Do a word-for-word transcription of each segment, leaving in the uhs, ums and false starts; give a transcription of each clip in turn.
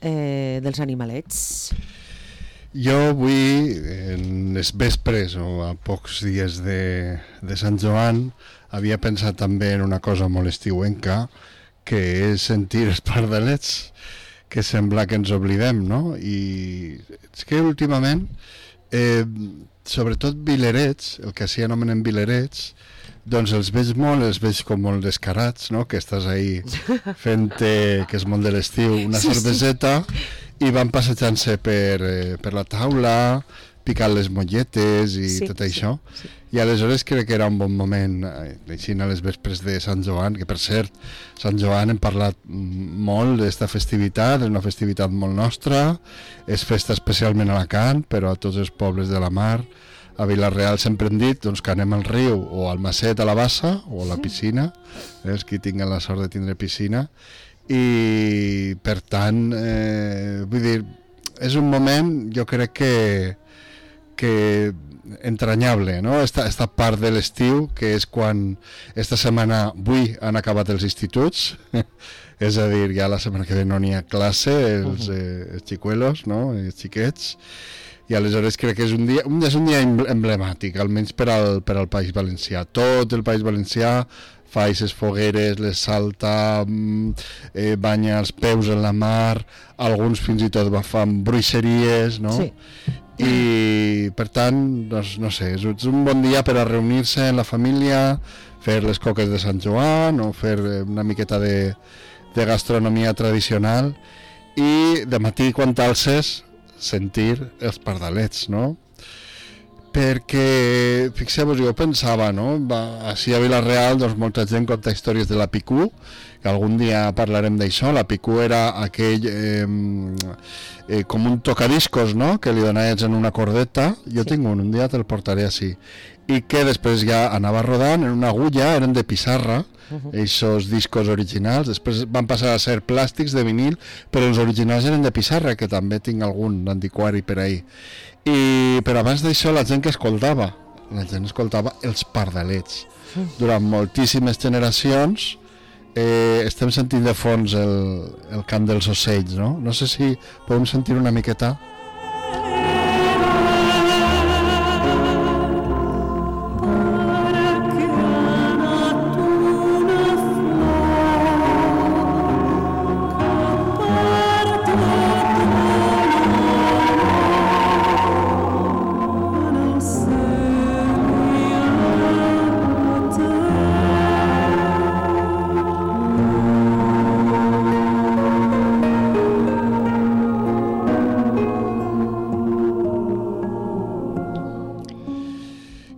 eh, dels animalets. Jo avui, en les vespres o a pocs dies de, de Sant Joan, havia pensat també en una cosa molt estiuenca, que és sentir els pardalets, que sembla que ens oblidem, no? I és que últimament, eh, sobretot vilerets, el que s'hi anomenen vilerets, doncs els veig molt, els veig com molt descarats, no? Que estàs ahí fent, eh, que és molt de l'estiu, una Sí, cerveseta, sí. I van passejant-se per, eh, per la taula, picant les molletes i Sí, tot sí, això. sí. I aleshores crec que era un bon moment, eh, així a les vespres de Sant Joan, que per cert, Sant Joan hem parlat molt d'esta festivitat, és una festivitat molt nostra, és festa especialment a Alacant, però a tots els pobles de la mar. A Vila-real sempre hem dit doncs, que anem al riu o al Macet a la Bassa o a la piscina, eh, els que tinguen la sort de tindre piscina, i per tant, eh, vull dir, és un moment, jo crec que, que entranyable, no? Esta, esta part de l'estiu, que és quan esta setmana, avui han acabat els instituts, és a dir, ja la setmana que ve no n'hi ha classe, els, eh, els xicuelos, no? Els xiquets, i aleshores crec que és un dia, un, és un dia emblemàtic, almenys per al, per al País Valencià. Tot el País Valencià fa aquestes fogueres, les salta, eh, banya els peus en la mar, alguns fins i tot fan bruixeries, no? Sí. I per tant, doncs, no sé, és un bon dia per a reunir-se en la família, fer les coques de Sant Joan o fer una miqueta de, de gastronomia tradicional, i de matí quan t'alces sentir els pardalets, no? Perquè, fixeu-vos, jo pensava, no? Va, així a Vila-real, doncs molta gent conta històries de la Picú, que algun dia parlarem d'això. La Picú era aquell, eh, eh, com un tocadiscos, no?, que li donaves en una cordeta. Jo sí. tinc un, un dia te'l portaré així. I que després ja anava rodant en una agulla, eren de pissarra, aquests discos originals, després van passar a ser plàstics de vinil, però els originals eren de pissarra, que també tinc algun d'antiquari per ahí. I però abans d'això la gent que escoltava, la gent escoltava els pardalets. Durant moltíssimes generacions eh, estem sentint de fons el, el cant dels ocells, no? No sé si podem sentir una miqueta.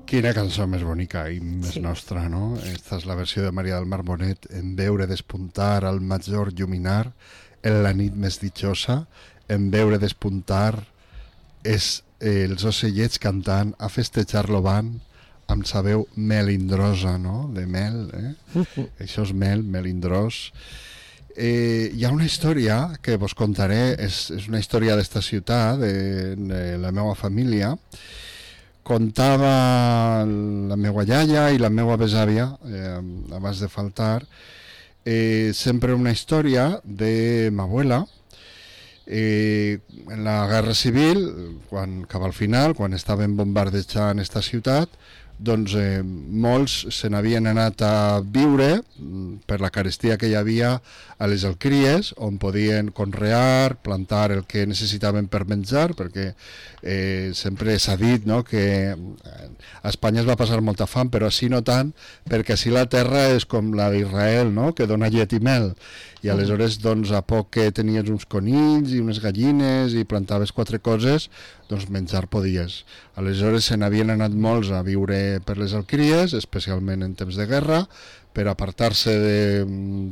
Quina cançó més bonica i més sí. nostra, no? Esta és la versió de Maria del Mar Bonet, en veure despuntar al major lluminar, en la nit més ditxosa, en veure despuntar és eh, els ocellets cantant, a festejar-lo van, amb sa veu melindrosa, no? De mel, eh? Això és mel, melindrós. Eh, hi ha una història que vos contaré, és, és una història d'esta ciutat, de, de la meva família. Contava la meva iaia i la meva besàvia, eh, abans de faltar, eh, sempre una història de ma abuela. Eh, en la Guerra Civil, quan, cap al final, quan estaven bombardejant esta ciutat, doncs eh, molts se n'havien anat a viure per la carestia que hi havia a les alqueries, on podien conrear, plantar el que necessitaven per menjar, perquè eh, sempre s'ha dit, no?, que a Espanya es va passar molta fam, però així no tant, perquè així la terra és com la d'Israel, no?, que dona llet i mel, i aleshores doncs, a poc que tenies uns conills i unes gallines i plantaves quatre coses, doncs menjar podies. Aleshores se n'havien anat molts a viure per les alqueries, especialment en temps de guerra, per apartar-se de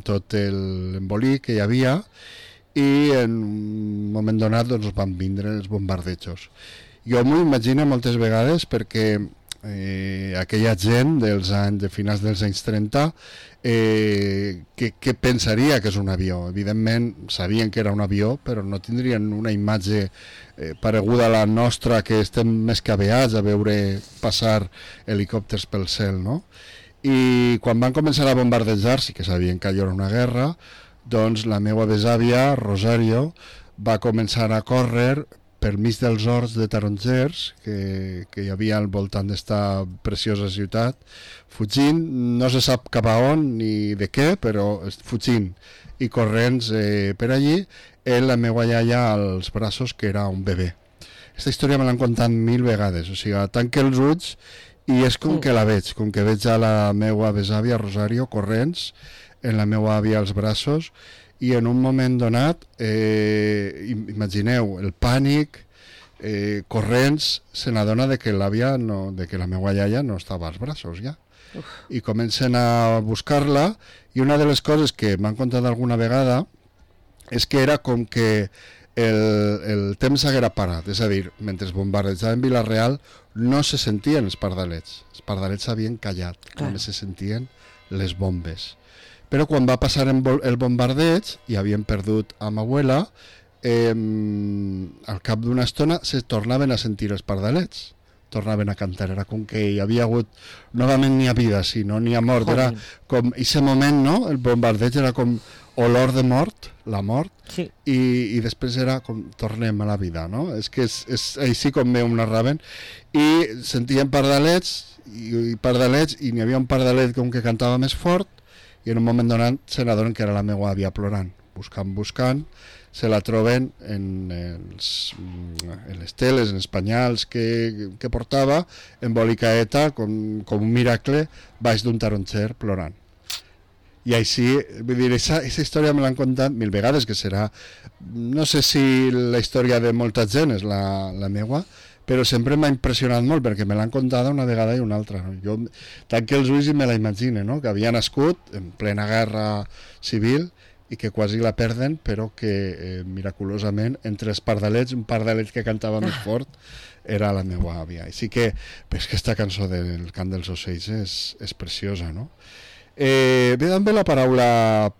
tot l'embolic que hi havia, i en un moment donat doncs, van vindre els bombardejos. Jo m'ho imagino moltes vegades perquè eh, aquella gent dels anys, de finals dels anys trenta, eh, que, que pensaria que és un avió? Evidentment sabien que era un avió, però no tindrien una imatge eh, pareguda a la nostra, que estem més que aveats a veure passar helicòpters pel cel, no? I quan van començar a bombardejar, sí que sabien que allò era una guerra, doncs la meva besàvia, Rosario, va començar a córrer per mig dels horts de tarongers que, que hi havia al voltant d'esta preciosa ciutat, fugint, no se sap cap a on ni de què, però fugint i corrents eh, per allí, amb la meva iaia als braços, que era un bebè. Aquesta història me l'han contat mil vegades, o sigui, tanque els ulls i és com que la veig, com que veig a la meva besàvia Rosario corrents, en la meva àvia als braços, i en un moment donat, eh, imagineu, el pànic, eh, corrents, se n'adona de que l'àvia, no, de que la meva iaia no estava als braços ja. Uf. I comencen a buscar-la, i una de les coses que m'han contat alguna vegada és que era com que el, el temps s'haguera parat, és a dir, mentre bombardejaven Vila-real no se sentien els pardalets, els pardalets s'havien callat, Clar. només se sentien les bombes. Però quan va passar el bombardeig i havien perdut a ma abuela, eh, al cap d'una estona se tornaven a sentir els pardalets, tornaven a cantar, era com que hi havia hagut novament ni a vida, sinó ni a mort. Joder. Era com, en aquest moment, no? El bombardeig era com olor de mort, la mort, sí. i, i després era com tornem a la vida, no? És que és, és així com me ho narraven, i sentien pardalets, i, i pardalets, i n'hi havia un pardalet com que cantava més fort, i en un moment donat se n'adonen que era la meva àvia plorant, buscant, buscant, se la troben en, els, en les teles, en els penyals que, que portava, embolicaeta, com, com un miracle, baix d'un taronger plorant. I així, vull dir, aquesta història me l'han contat mil vegades, que serà, no sé si la història de molta gent és la, la meua, però sempre m'ha impressionat molt, perquè me l'han contada una vegada i una altra. No? Jo tanque els ulls i me la imagine, no? Que havia nascut en plena guerra civil i que quasi la perden, però que eh, miraculosament, entre els pardalets, un pardalet que cantava més fort era la meva àvia. Així que, és que aquesta cançó del Cant dels Ocells és, és preciosa, no? Eh, ve també la paraula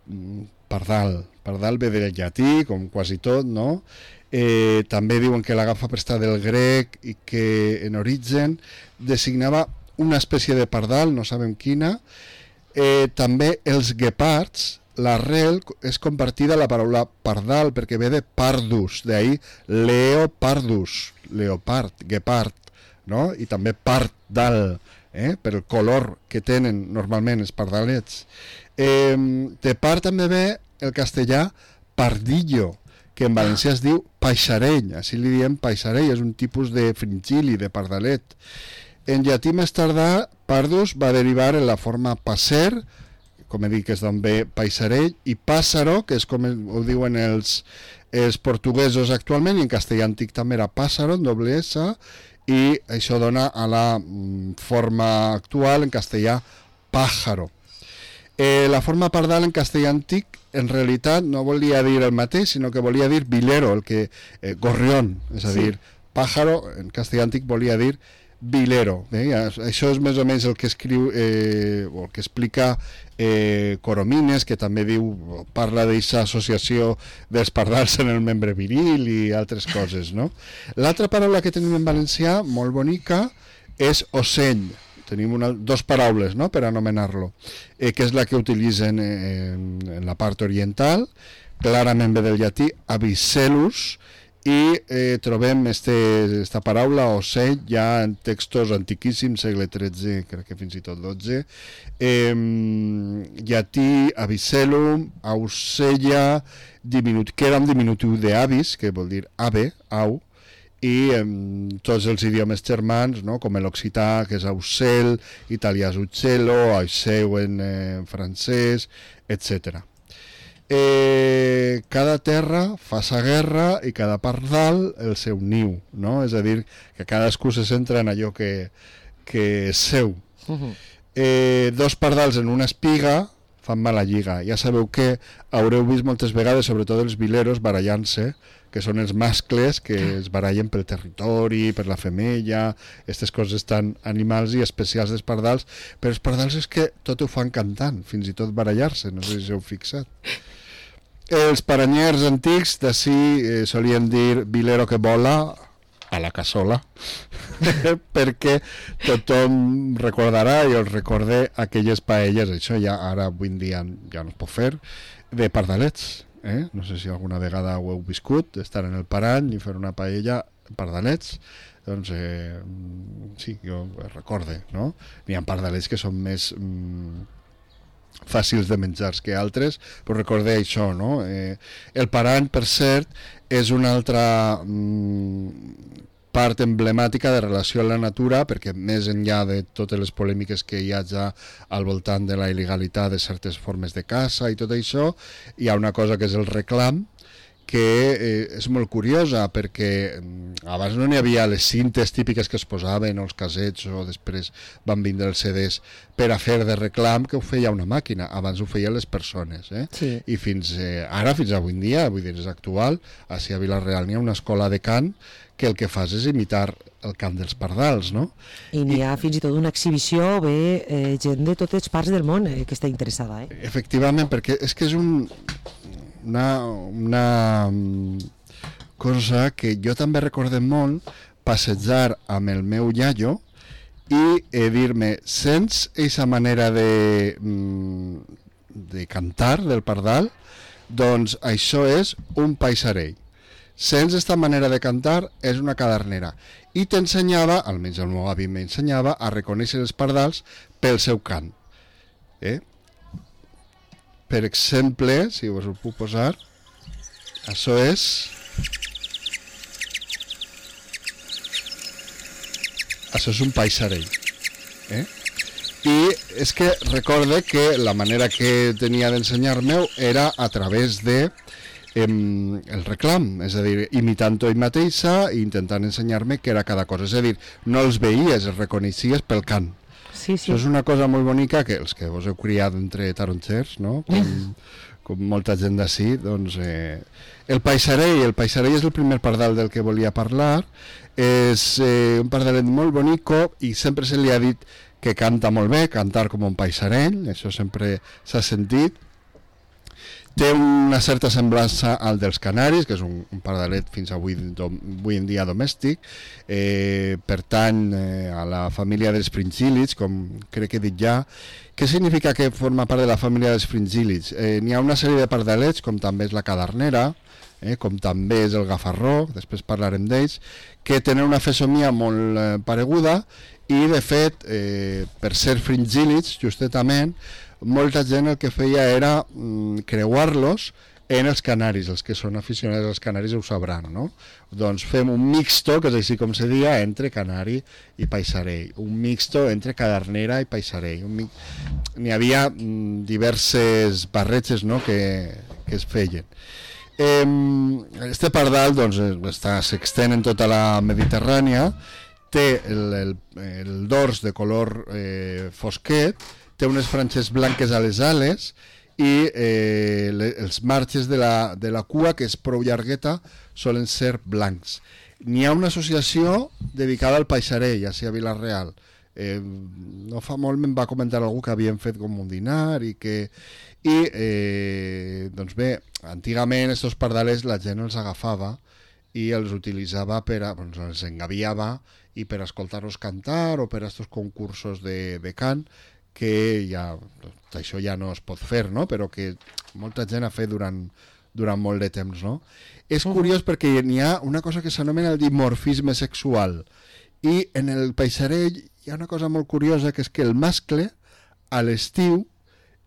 pardal. Pardal ve del llatí, com quasi tot, no? Eh, també diuen que l'agafa prestada del grec i que en origen designava una espècie de pardal, no sabem quina. Eh, també els guepards, l'arrel és compartida la paraula pardal perquè ve de pardus, d'ahir leopardus, leopard, guepard, no? I també pardal, eh? Per el color que tenen normalment els pardalets. Eh, de part també ve el castellà pardillo, que en valencià es diu paixarell, així li diem paixarell, és un tipus de fringili, de pardalet. En llatí més tardà, pardus va derivar en la forma passer, com he dit que és d'on ve paixarell, i pàssaro, que és com ho diuen els, els portuguesos actualment, i en castellà antic també era pàssaro, en doble S, i això dona a la forma actual en castellà pájaro. Eh, la forma pardal en castellà antic en realitat no volia dir el mateix, sinó que volia dir vilero, el que eh, gorrión, és a dir, sí. Pájaro en castellà antic volia dir vilero. Eh? Això és més o menys el que escriu eh, o el que explica eh, Coromines, que també diu, parla d'aquesta associació dels pardals en el membre viril i altres coses, no? L'altra paraula que tenim en valencià, molt bonica, és ocell. Tenim una, dos paraules, no?, per anomenar-lo, eh, que és la que utilitzen eh, en, en la part oriental, clarament ve del llatí avicellus, i eh, trobem este, esta paraula ocell ja en textos antiquíssims, segle tretze, crec que fins i tot dotze, eh, llatí avicellum, ausella, diminut, que era un diminutiu d'avis, que vol dir ave, au, i en tots els idiomes germans, no? Com l'occità, que és aucel, italià és uccello, auceu en eh, francès, etcètera. Eh, cada terra fa sa guerra i cada pardal el seu niu, no? És a dir, que cadascú se centra en allò que, que és seu. Uh-huh. Eh, dos pardals en una espiga fan mala lliga. Ja sabeu que haureu vist moltes vegades, sobretot els vileros, barallant-se, que són els mascles que es barallen pel territori, per la femella, aquestes coses tan animals i especials dels pardals, però els pardals és que tot ho fan cantant, fins i tot barallar-se, no sé si heu fixat. Els paranyers antics d'ací eh, solien dir vilero que vola a la cassola, perquè tothom recordarà, i els recordé aquelles paelles, això ja ara avui en dia ja no es pot fer, de pardalets. eh? No sé si alguna vegada ho heu viscut, estar en el parany i fer una paella en pardalets. Doncs eh, sí, jo recorde, no? N'hi ha pardalets que són més mm, fàcils de menjars que altres, però recordeu això, no? Eh, el parany, per cert, és una altra mm, part emblemàtica de relació amb la natura, perquè més enllà de totes les polèmiques que hi ha ja al voltant de la il·legalitat de certes formes de caça i tot això, hi ha una cosa que és el reclam, que eh, és molt curiosa, perquè eh, abans no n'hi havia les cintes típiques que es posaven, o els casets, o després van vindre els C Ds per a fer de reclam, que ho feia una màquina, abans ho feien les persones, eh? Sí. I fins eh, ara, fins avui en dia, vull dir, és actual, així a Vila-real n'hi ha una escola de cant que el que fas és imitar el cant dels pardals, no? I n'hi ha fins i tot una exhibició, ve eh, gent de totes parts del món eh, que està interessada, eh? Efectivament, perquè és que és un... Una, una cosa que jo també recordé molt, passejar amb el meu iaio i eh, dir-me, sents aquesta manera de, de cantar del pardal? Doncs això és un paisarell. Sents aquesta manera de cantar? És una cadernera. I t'ensenyava, almenys el meu avi m'ensenyava, a reconèixer els pardals pel seu cant. Eh? Per exemple, si us ho puc posar, això és... Això és un paisarell. Eh? I és que recorde que la manera que tenia d'ensenyar-me era a través de eh, el reclam, és a dir, imitant-ho ell mateixa i intentant ensenyar-me què era cada cosa. És a dir, no els veies, els reconeixies pel cant. Sí, sí. Això és una cosa molt bonica que els que vos heu criat entre taronxers, no? Com, com molta gent d'ací, doncs... Eh, el paisarell, el paisarell és el primer pardal del que volia parlar, és eh, un pardalet molt bonico i sempre se li ha dit que canta molt bé, cantar com un paisarell, això sempre s'ha sentit. Té una certa semblança al dels canaris, que és un, un pardalet fins avui, do, avui en dia domèstic, eh, pertany eh, a la família dels fringílids, com crec que he dit ja. Què significa que forma part de la família dels fringílids? Eh, N'hi ha una sèrie de pardalets, com també és la cadernera, eh, com també és el gafarró, després parlarem d'ells, que tenen una fesomia molt eh, pareguda i, de fet, eh, per ser fringílids, justament, molta gent el que feia era mm, creuar-los en els canaris. Els que són aficionats als canaris ho sabran, no? Doncs fem un mixto, que és així com se dia, entre canari i paisarell. Un mixto entre cadernera i paisarell. Mi... N'hi havia mm, diverses barreges, no?, que, que es feien. Eh, este pardal doncs, està, s'extén en tota la Mediterrània, té el, el, el dors de color eh, fosquet, té unes franges blanques a les ales i eh, le, els marges de la, de la cua, que és prou llargueta, solen ser blancs. N'hi ha una associació dedicada al paisarell, així a Vila-real. Eh, no fa molt me'n va comentar algú que havien fet com un dinar i que... I, eh, doncs bé, antigament estos pardalets la gent els agafava i els utilitzava per a... Doncs els engaviava i per escoltar-los cantar o per a estos concursos de, de cant, que ja, això ja no es pot fer, no? Però que molta gent ha fet durant, durant molt de temps, no? És curiós perquè n'hi ha una cosa que s'anomena el dimorfisme sexual i en el paisarell hi ha una cosa molt curiosa, que és que el mascle a l'estiu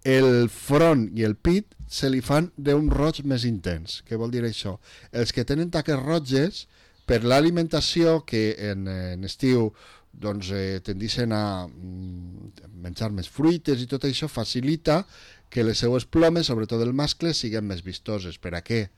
el front i el pit se li fan d'un roig més intens. Què vol dir això? Els que tenen taques roges, per l'alimentació, que en, en estiu doncs eh, tendixen a mm, menjar més fruites i tot això facilita que les seues plomes, sobretot el mascle, siguin més vistoses. Per a què?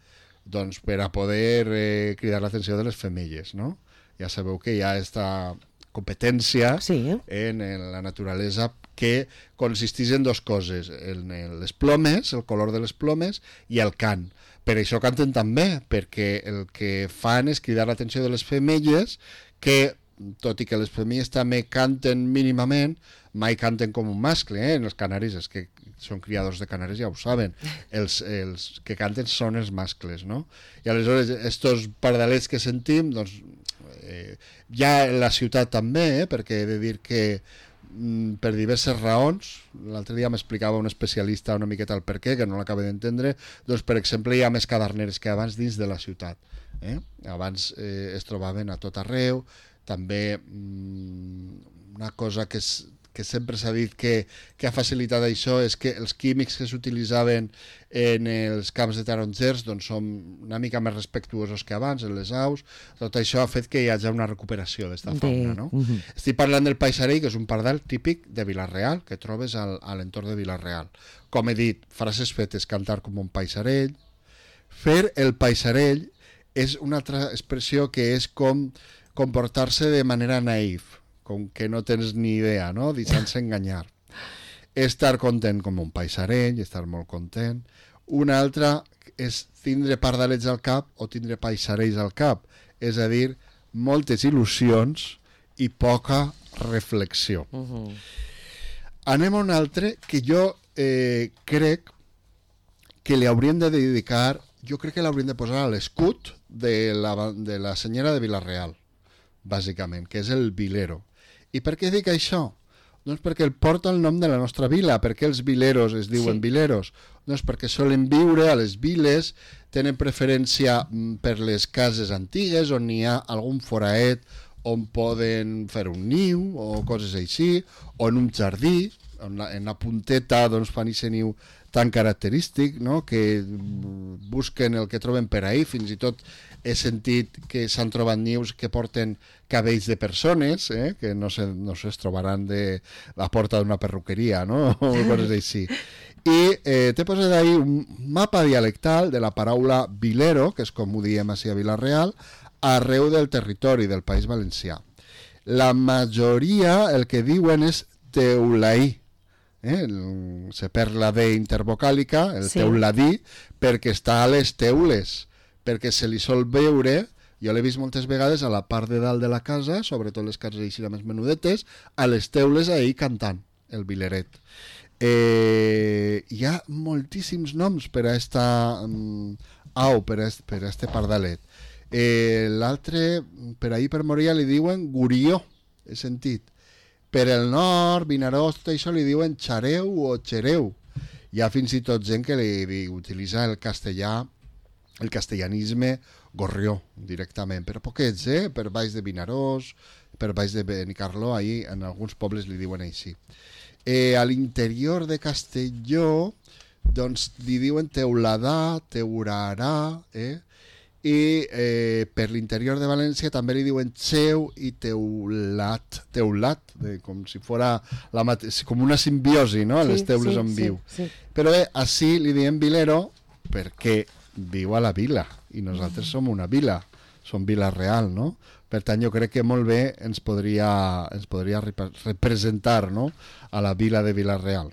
Doncs per a poder eh, cridar l'atenció de les femelles, no? Ja sabeu que hi ha aquesta competència sí. en, en la naturalesa que consisteix en dues coses, en, en les plomes, el color de les plomes i el cant. Per això canten també, perquè el que fan és cridar l'atenció de les femelles, que tot i que les femelles també canten mínimament, mai canten com un mascle, eh? En els canaris, els que són criadors de canaris ja ho saben, els, els que canten són els mascles, no? I aleshores, estos pardalets que sentim, doncs, eh, ja en la ciutat també, eh? Perquè he de dir que per diverses raons. L'altre dia m'explicava un especialista una miqueta el per què, que no l'acaba d'entendre. Doncs, per exemple, hi ha més caderneres que abans dins de la ciutat. Eh? Abans eh, es trobaven a tot arreu. També mm, una cosa que, és, que sempre s'ha dit que, que ha facilitat això és que els químics que s'utilitzaven en els camps de tarongers doncs, són una mica més respectuosos que abans, en les aus. Tot això ha fet que hi hagi una recuperació d'esta fauna. No? Uh -huh. Estic parlant del paisarell, que és un pardal típic de Vila-real, que trobes al, a l'entorn de Vila-real. Com he dit, frases fetes, cantar com un paisarell. Fer el paisarell és una altra expressió que és com comportar-se de manera naïf, com que no tens ni idea, no? Deixant-se enganyar. Estar content com un paisarell, estar molt content. Una altra és tindre pardalets al cap o tindre paisarells al cap, és a dir, moltes il·lusions i poca reflexió. Uh -huh. Anem a un altre que jo eh, crec que li hauríem de dedicar, jo crec que l'hauríem de posar a l'escut de la, de la senyora de Vila-real, bàsicament, que és el vilero. I per què dic això? Doncs perquè el porta el nom de la nostra vila. Per què els vileros es diuen sí. vileros? Doncs perquè solen viure a les viles, tenen preferència per les cases antigues on hi ha algun foraet on poden fer un niu o coses així, o en un jardí, en la, en la punteta doncs, fan aquest niu tan característic, no? Que busquen el que troben per ahí. Fins i tot he sentit que s'han trobat nius que porten cabells de persones, eh? Que no se, no se trobaran de la porta d'una perruqueria, no? O coses així. I eh, t'he posat ahí un mapa dialectal de la paraula vilero, que és com ho diem així a Vila-real, arreu del territori del País Valencià. La majoria el que diuen és teulaí. Eh? Se perd la D intervocàlica, el sí. teuladí, perquè està a les teules, perquè se li sol veure, jo l'he vist moltes vegades a la part de dalt de la casa, sobretot les cases així més menudetes, a les teules ahí cantant el vileret. Eh, hi ha moltíssims noms per a esta um, au, per a este, per a este pardalet. Eh, l'altre, per ahir per Moria li diuen gurió, he sentit. Per el nord, Vinaròs, tot això li diuen xareu o xereu. Hi ha fins i tot gent que li, li utilitza el castellà, el castellanisme gorrió, directament. Però poquets, eh? Per baix de Vinaròs, per baix de Benicarló, ahí en alguns pobles li diuen així. Eh, a l'interior de Castelló, doncs li diuen teuladà, teurarà, eh? I eh, per l'interior de València també li diuen xeu i teulat, teulat, de, com si fora la mate- com una simbiosi, no? Sí, les teules sí, on sí, viu. Sí. Però bé, així li diem vilero perquè viu a la vila i nosaltres som una vila, som Vila-real, no? Per tant, jo crec que molt bé ens podria, ens podria representar, no? A la vila de Vila-real.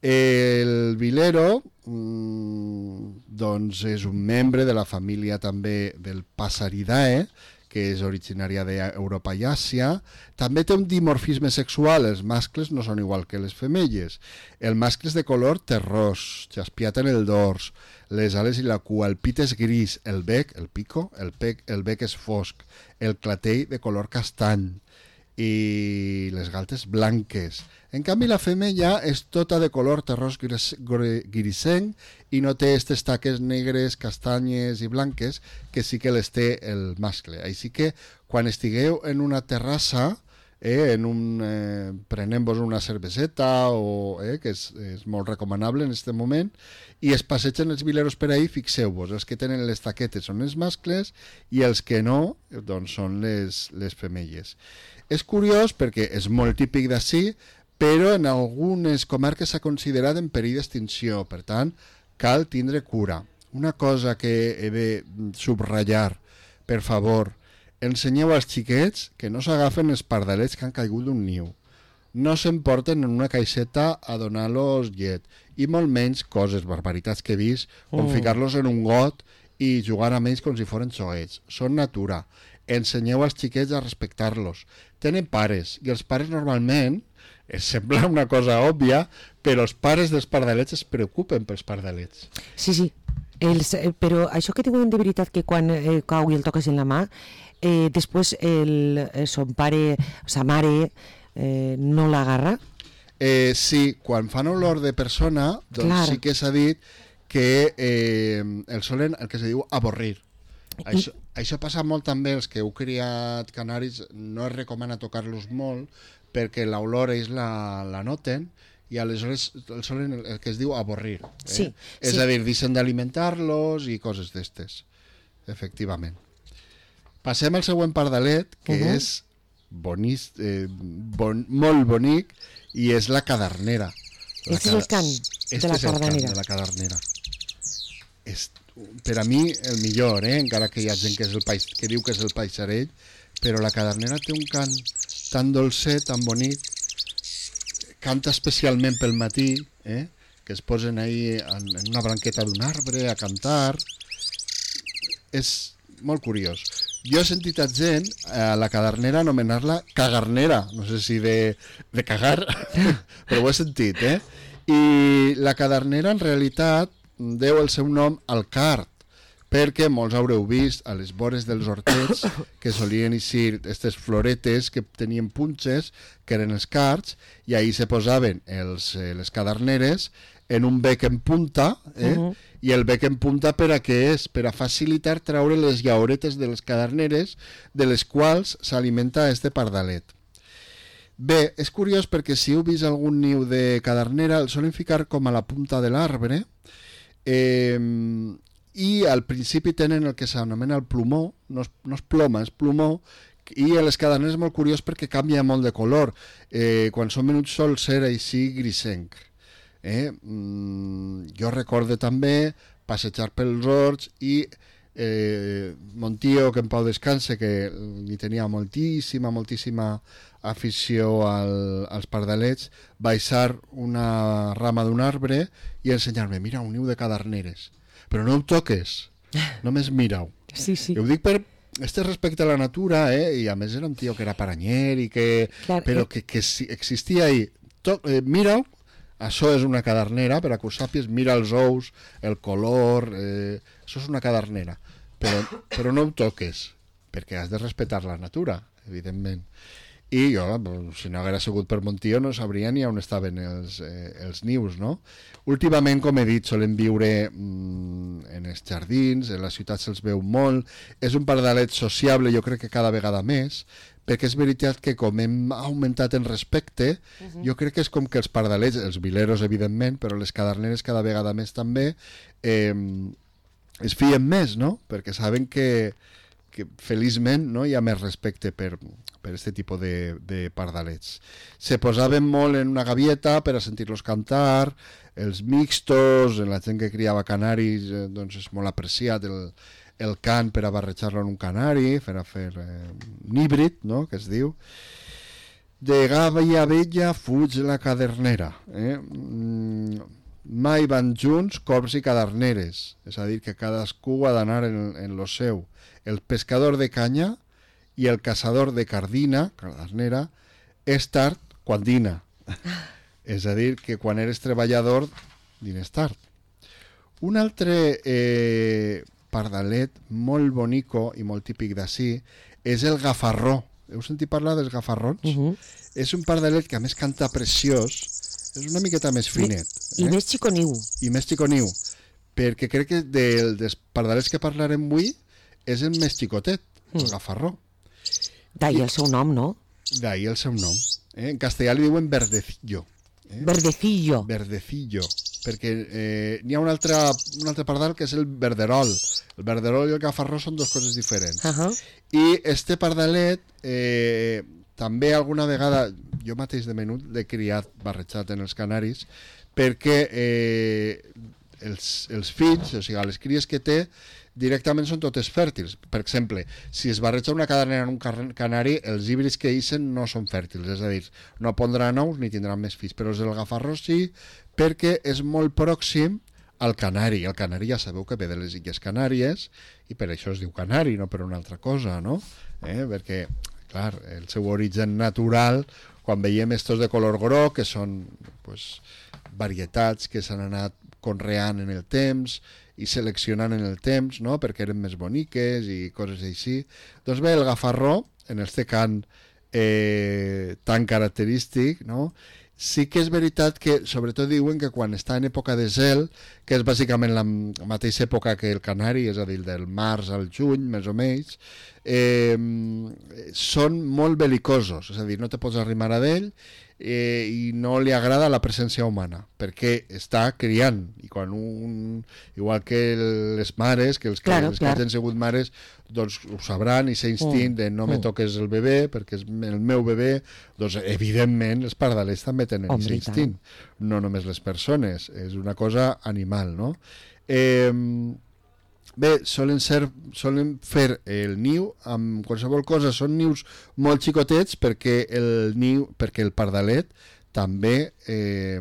El vilero mmm, doncs és un membre de la família també del Passeridae, que és originària d'Europa i Àsia. També té un dimorfisme sexual, els mascles no són igual que les femelles. El mascle és de color terrós, jaspiat en el dors, les ales i la cua, el pit és gris, el bec, el pico, el, pec, el bec és fosc, el clatell de color castany i les galtes blanques. En canvi, la femella és tota de color terrós grisenc i no té aquestes taques negres, castanyes i blanques que sí que les té el mascle. Així que quan estigueu en una terrassa, eh, en un, eh, prenent-vos una cerveseta, o, eh, que és, és molt recomanable en aquest moment, i es passegen els vileros per ahí, fixeu-vos, els que tenen les taquetes són els mascles i els que no, doncs són les, les femelles. És curiós perquè és molt típic d'ací, però en algunes comarques s'ha considerat en perill d'extinció, per tant, cal tindre cura. Una cosa que he de subratllar, per favor, ensenyeu als xiquets que no s'agafen els pardalets que han caigut d'un niu. No s'emporten en una caixeta a donar-los llet, i molt menys coses, barbaritats que he vist, com oh. ficar-los en un got i jugar amb ells com si foren xoguets. Són natura. Ensenyeu als xiquets a respectar-los. Tenen pares, i els pares normalment, es sembla una cosa òbvia, però els pares dels pardalets es preocupen pels pardalets. Sí, sí, els, eh, però això que diuen de veritat que quan eh, cau i el toques en la mà, eh, després el, el son pare, sa mare, eh, no l'agarra? Eh, sí, quan fan olor de persona, doncs Clar. sí que s'ha dit que eh, el solen, el que se diu avorrir. Això, això passa molt també els que heu criat canaris, no es recomana tocar-los molt perquè l'olor ells la, la noten i aleshores el solen el que es diu avorrir. Eh? Sí, És sí. a dir, deixen d'alimentar-los i coses d'estes, efectivament. Passem al següent pardalet, que Uh-huh. és bonís, eh, bon, molt bonic, i és la cadernera. La Este és el cant este de la és el cant cadernera. de la cadernera. És, per a mi, el millor, eh? Encara que hi ha gent que, és el paix, que diu que és el paisarell, però la cadernera té un cant tan dolcet, tan bonic, canta especialment pel matí, eh? Que es posen ahí en, en una branqueta d'un arbre a cantar. És molt curiós. Jo he sentit a gent a la cadernera anomenar-la cagarnera, no sé si de, de cagar, però ho he sentit, eh? I la cadernera en realitat deu el seu nom al card, perquè molts haureu vist a les vores dels hortets que solien eixir aquestes floretes que tenien punxes, que eren els cards, i ahí se posaven els, eh, les caderneres en un bec en punta, eh? Uh-huh. I el bec en punta per a què és? Per a facilitar treure les llauretes de les caderneres de les quals s'alimenta este pardalet. Bé, és curiós perquè si heu vist algun niu de cadernera el solen ficar com a la punta de l'arbre, eh, i al principi tenen el que s'anomena el plomó, no és, no és ploma, és plomó, i a les caderneres és molt curiós perquè canvia molt de color. Eh, quan són menuts sol ser així grisenc. Eh? Mm, jo recordo també passejar pels horts i eh, mon tio, que en pau descanse, que li tenia moltíssima, moltíssima afició al, als pardalets, baixar una rama d'un arbre i ensenyar-me, mira, un niu de caderneres, però no ho toques, només mira-ho. Sí, sí. I ho dic per este respecte a la natura, eh? I a més era un tio que era paranyer i que, Clar, però eh. que, que si existia ahí, to, eh, mira-ho. Això és una cadernera, per a que ho sàpies, mira els ous, el color, eh, això és una cadernera, però, però no ho toques, perquè has de respectar la natura, evidentment. I jo, si no haguera sigut per mon tio, no sabria ni on estaven els, eh, els nius, no? Últimament, com he dit, solen viure mm, en els jardins, en la ciutat se'ls veu molt, és un pardalet sociable, jo crec que cada vegada més, perquè és veritat que com hem augmentat en respecte, uh-huh. jo crec que és com que els pardalets, els vileros evidentment, però les caderneres cada vegada més també, eh, es fien més, no? Perquè saben que, que feliçment no hi ha més respecte per, per este tipus de, de pardalets. Se posaven molt en una gavieta per a sentir-los cantar, els mixtos, la gent que criava canaris, eh, doncs és molt apreciat el el cant per a barrejar-lo en un canari, per a fer eh, un híbrid, no?, que es diu. De gàbia vella fuig la cadernera. Eh? Mm, mai van junts corbs i caderneres, és a dir, que cadascú ha d'anar en, en lo seu. El pescador de canya i el caçador de cardina, cadernera, és tard quan dina. És a dir, que quan eres treballador, dines tard. Un altre eh, pardalet molt bonico i molt típic d'ací és el gafarró. Heu sentit parlar dels gafarrons? Uh-huh. És un pardalet que a més canta preciós, és una miqueta més finet. I, eh? i més xiconiu. I més xiconiu, perquè crec que del, dels pardalets que parlarem avui és el més xicotet, mm. el gafarró. D'ahir el seu nom, no? D'ahir el seu nom. Eh? En castellà li diuen verdecillo. Eh? Verdecillo. Verdecillo. Perquè eh, n'hi ha un altre, un altre pardal que és el verderol. El verderol i el gafarró són dues coses diferents. Uh-huh. I este pardalet eh, també alguna vegada, jo mateix de menut l'he criat barrejat en els canaris, perquè eh, els, els fills, o sigui, les cries que té, directament són totes fèrtils. Per exemple, si es barreja una cadernera en un canari, els híbrids que ixen no són fèrtils, és a dir, no pondran ous ni tindran més fills, però els del gafarró sí, perquè és molt pròxim al canari. El canari ja sabeu que ve de les Illes Canàries i per això es diu canari, no per una altra cosa, no? Eh? Perquè, clar, el seu origen natural, quan veiem estos de color groc, que són pues, varietats que s'han anat conreant en el temps i seleccionant en el temps, no?, perquè eren més boniques i coses així. Doncs bé, el gafarró, en este cant eh, tan característic, no? Sí que és veritat que, sobretot diuen que quan està en època de zel, que és bàsicament la mateixa època que el canari, és a dir, del març al juny, més o menys, eh, són molt belicosos, és a dir, no te pots arrimar a d'ell eh, i no li agrada la presència humana, perquè està criant, i quan un, igual que les mares, que els que, claro, els clar. que han sigut mares, doncs ho sabran, i s'instint de no me toques el bebè perquè és el meu bebè, doncs evidentment els pardalets també tenen aquest instint, no només les persones, és una cosa animal, no? Eh, bé, solen ser, solen fer el niu amb qualsevol cosa, són nius molt xicotets perquè el niu, perquè el pardalet també eh,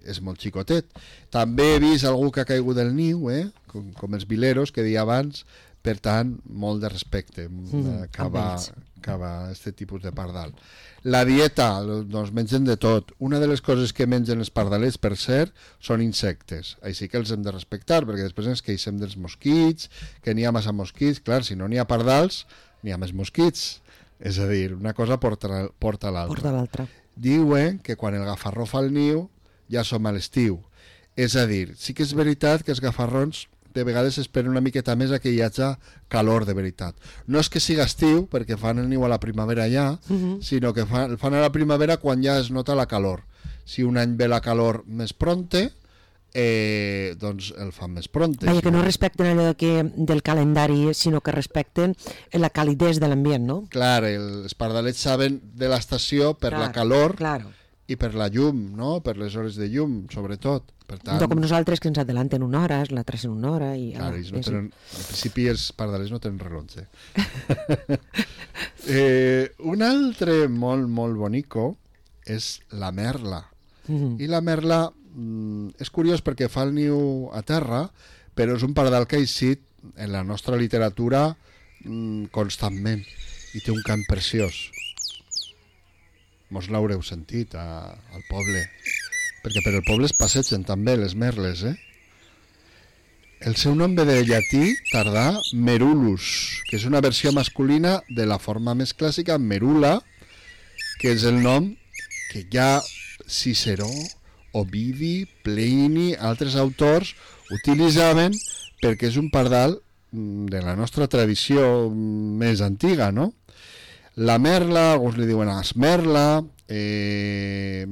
és molt xicotet. També he vist algú que ha caigut del niu, eh? com, com els vileros que deia abans. Per tant, molt de respecte mm, cap a aquest tipus de pardal. La dieta, doncs mengen de tot. Una de les coses que mengen els pardalets, per cert, són insectes. Així que els hem de respectar, perquè després ens queixem dels mosquits, que n'hi ha massa mosquits. Clar, si no n'hi ha pardals, n'hi ha més mosquits. És a dir, una cosa porta, porta l'altra. Porta l'altra. Diuen que quan el gafarró fa el niu, ja som a l'estiu. És a dir, sí que és veritat que els gafarrons de vegades esperen una miqueta més a que hi hagi calor de veritat. No és que siga estiu, perquè fan el niu a la primavera ja, uh-huh. sinó que fan, fan a la primavera quan ja es nota la calor. Si un any ve la calor més pronte, eh, doncs el fan més pronte. Vaja, que no respecten allò de que, del calendari, sinó que respecten la calidesa de l'ambient, no? Clar, els pardalets saben de l'estació per clar, la calor claro. i per la llum, no? Per les hores de llum, sobretot. Per tant, no com nosaltres, que ens adelanten una hora, la tracen una hora i... Clar, ah, no és... tenen, en principi els pardalets no tenen rellotge. eh, un altre molt, molt bonico és la merla. Mm-hmm. I la merla mm, és curiós perquè fa el niu a terra, però és un pardal que ha eixit en la nostra literatura mm, constantment i té un cant preciós. Mos l'haureu sentit a, al poble, perquè per el poble es passegen també les merles, eh? El seu nom ve del llatí tardà merulus, que és una versió masculina de la forma més clàssica merula, que és el nom que ja Ciceró, Ovidi, Plini, altres autors utilitzaven perquè és un pardal de la nostra tradició més antiga, no? La merla, alguns li diuen esmerla, eh,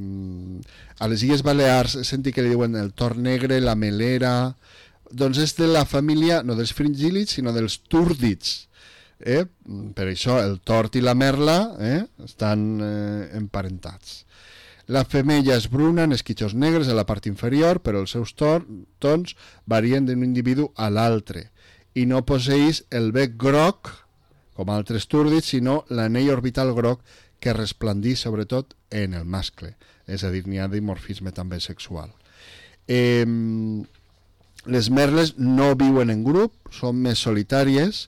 a les Illes Balears senti que li diuen el tord negre, la melera, doncs és de la família, no dels fringílids, sinó dels túrdids. Eh? Per això el tord i la merla eh, estan eh, emparentats. La femella és bruna, en esquitxos negres a la part inferior, però els seus tons varien d'un individu a l'altre i no posseeix el bec groc, com altres túrdids, sinó l'anell orbital groc que resplandeix sobretot en el mascle, és a dir, n'hi ha dimorfisme també sexual. Eh, les merles no viuen en grup, són més solitàries,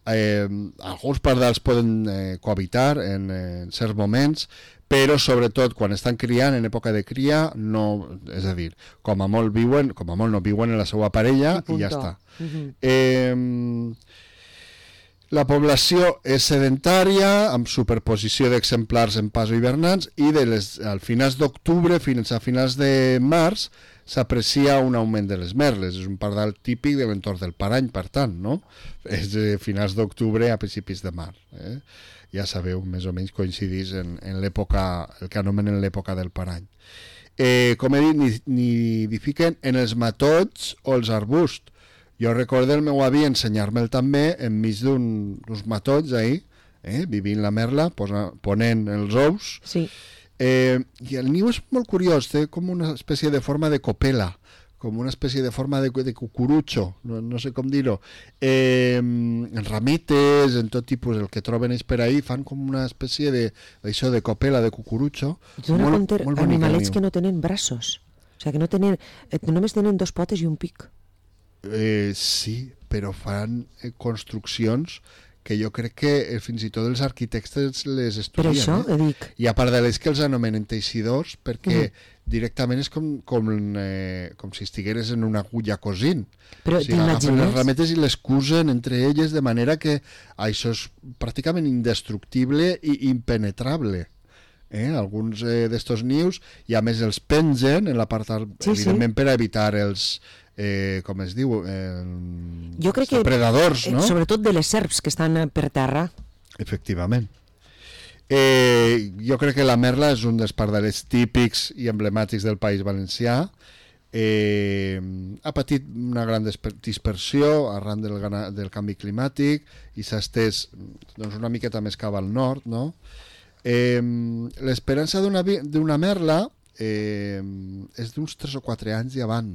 eh, alguns pardals poden eh, cohabitar en, en certs moments, però sobretot quan estan criant, en època de cria, no, és a dir, com a molt viuen, com a molt no viuen en la seva parella i, i ja està. Uh-huh. Eh, La població és sedentària, amb superposició d'exemplars en pas o hivernants, i de les, al finals d'octubre fins a finals de març s'aprecia un augment de les merles. És un pardal típic de l'entorn del Parany, per tant, no? És de finals d'octubre a principis de març. Eh? Ja sabeu, més o menys coincidís en, en l'època, el que anomenen l'època del Parany. Eh, com he dit, nidifiquen en els matolls o els arbusts. Jo recordo el meu avi ensenyar-me'l també enmig d'uns matolls ahí, eh, vivint la merla, posa, ponent els ous. Sí. Eh, I el niu és molt curiós, té com una espècie de forma de copela, com una espècie de forma de, de cucurutxo, no, no sé com dir-ho. Eh, en rametes, en tot tipus, el que troben ells per ahí, fan com una espècie de, d'això, de copela, de cucurutxo. Dona compte animalets que no tenen braços, o sigui, que no tenen, només tenen dos potes i un pic. Eh, sí, però fan eh, construccions que jo crec que eh, fins i tot els arquitectes les estudien. Per això, eh? dic. I a part de les que els anomenen teixidors, perquè Mm. directament és com, com, eh, com si estigueres en una agulla cosint. Però O sigui, agafen les t'imagines? rametes i les cusen entre elles de manera que això és pràcticament indestructible i impenetrable. Eh? Alguns eh, d'estos nius, i a més els pengen en la part, Sí, evidentment sí. per a evitar els, eh, com es diu, eh, Jo crec els que, depredadors, eh, no? sobretot de les serps que estan eh, per terra. Efectivament. Eh, jo crec que la merla és un dels pardalets típics i emblemàtics del País Valencià. Eh, ha patit una gran disper- dispersió arran del, gana- del canvi climàtic i s'ha estès doncs, una miqueta més cap al nord, no? Eh, l'esperança d'una vi- d'una merla eh, és d'uns tres o quatre anys i avant.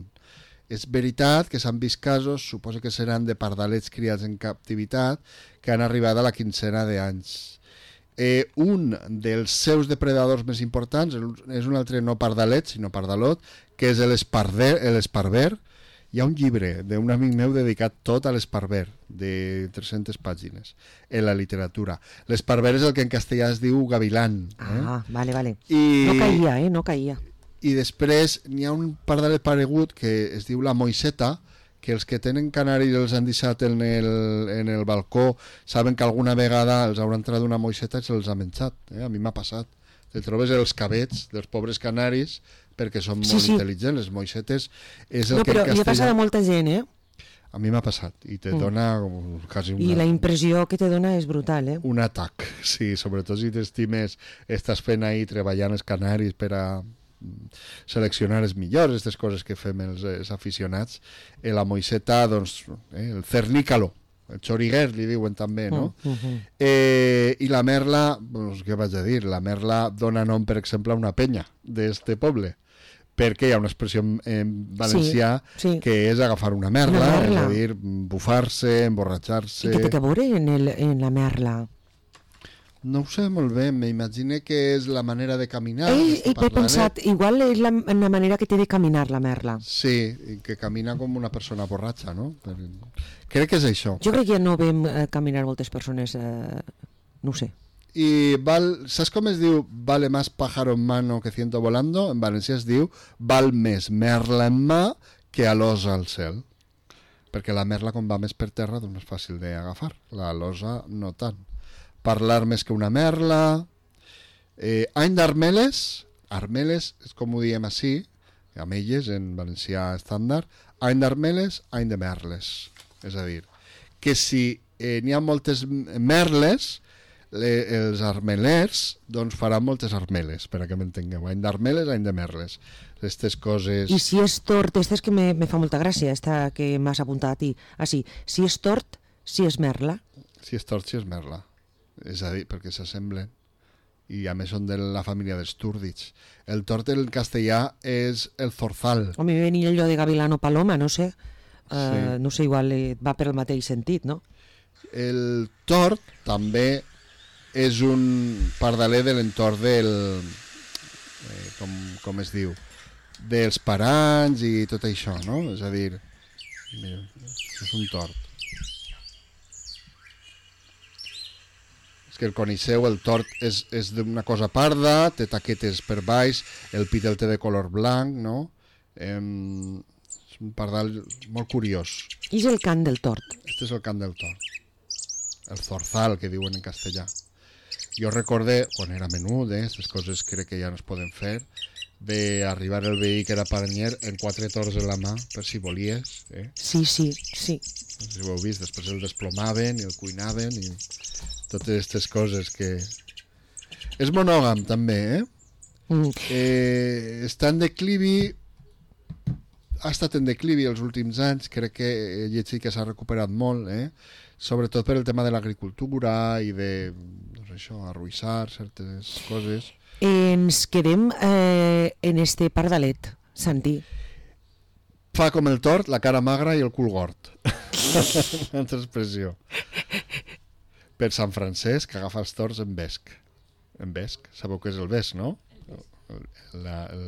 És veritat que s'han vist casos, suposo que seran de pardalets criats en captivitat, que han arribat a la quincena d'anys. Eh, un dels seus depredadors més importants és un altre no pardalet, sinó pardalot, que és l'esparver. Hi ha un llibre d'un amic meu dedicat tot a l'esparver, de tres-centes pàgines, en la literatura. L'esparver és el que en castellà es diu gavilán. Eh? Ah, vale, vale. I, No caïa, eh? No caïa. I després n'hi ha un pardalet paregut que es diu la moixeta, que els que tenen canaris els han deixat en el, en el balcó saben que alguna vegada els haurà entrat una moixeta i se'ls ha menjat. Eh? A mi m'ha passat. Te trobes els cabets dels pobres canaris perquè són Sí, molt sí. intel·ligents. Les moixetes és el No, que però en li ha passat castellà... a molta gent, eh? A mi m'ha passat i te Mm. dona com quasi I una, la impressió que te dona és brutal, eh? un atac. Sí, sobretot si t'estimes, estàs fent ahí treballant els canaris per a seleccionar els millors, aquestes coses que fem els, els aficionats. Eh, la moixeta, doncs, eh, el cernícalo, el xoriguer li diuen també, no? Mm, mm, mm. Eh, I la merla, doncs, què vaig a dir? La merla dona nom, per exemple, a una penya d'este poble, perquè hi ha una expressió en, en valencià Sí, sí. que és agafar una merla, Una merla. és a dir, bufar-se, emborratxar-se... I què té a veure en, el, en la merla? No ho sé molt bé, m'imagine que és la manera de caminar. Ell, d'aquest ell he pardalet. pensat, igual és la, la manera que té de caminar la merla. Sí, i que camina com una persona borratxa, no? Per... Crec que és això. Jo crec que ja no veiem eh, caminar moltes persones, eh, no ho sé. I val, saps com es diu vale más pájaro en mano que ciento volando? En valencià es diu val més merla en mà que alosa al cel. Perquè la merla, com va més per terra, doncs és fàcil d'agafar. La alosa no tant. Parlar més que una merla. Eh, any d'armeles. Armeles és com ho diem així, amb elles, en valencià estàndard. Any d'armeles, any de merles. És a dir, que si eh, n'hi ha moltes merles, le, els armelers doncs faran moltes armeles, per a que m'entengueu. Any d'armeles, any de merles. Aquestes coses... I si és tort, esta és que me, me fa molta gràcia, esta que m'has apuntat a ti. Ah, sí, si és tort, si és merla. Si és tort, si és merla. És a dir, perquè s'assemblen. I a més són de la família dels túrdids. El tort en castellà és el zorzal. O mi venia allò de gavilano paloma, no sé. Uh, Sí. No sé, igual eh, va per el mateix sentit, no? El tort també és un pardaler de l'entorn del... Eh, com, com es diu? Dels paranys i tot això, no? És a dir, mira, és un tort. És que el coneixeu, el tort és, és d'una cosa parda, té taquetes per baix, el pit el té de color blanc, no? Eh, és un pardal molt curiós. I és el cant del tort. Este és el cant del tort. El zorzal, que diuen en castellà. Jo recorde, quan era menut, eh, aquestes coses crec que ja no es poden fer, d'arribar el veí que era paranyer en quatre torts en la mà, per si volies. Eh? Sí, sí, sí. No sé si ho heu vist, després el desplomaven i el cuinaven i totes aquestes coses que... És monògam, també, eh? Mm. eh està en declivi, ha estat en declivi els últims anys, crec que he llegit que s'ha recuperat molt, eh? Sobretot per el tema de l'agricultura i de, doncs això, arruïssar certes coses. Ens quedem eh, en este pardalet, Santi. Fa com el tort, la cara magra i el cul gord. Una altra expressió. Per Sant Francesc, que agafa els torts en vesc. En vesc, sabeu què és el vesc, no? La, el...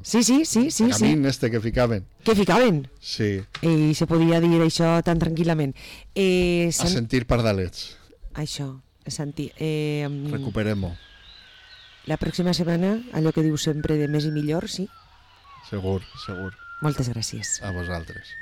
Sí, sí, sí, sí, el sí. camín este que ficaven. Que ficaven. Sí, I se podia dir això tan tranquil·lament. Eh, a Sant... sentir pardalets. Això, Santi. Eh, Recuperem-ho. La pròxima setmana, allò que diu sempre de més i millor, sí? Segur, segur. Moltes gràcies. A vosaltres.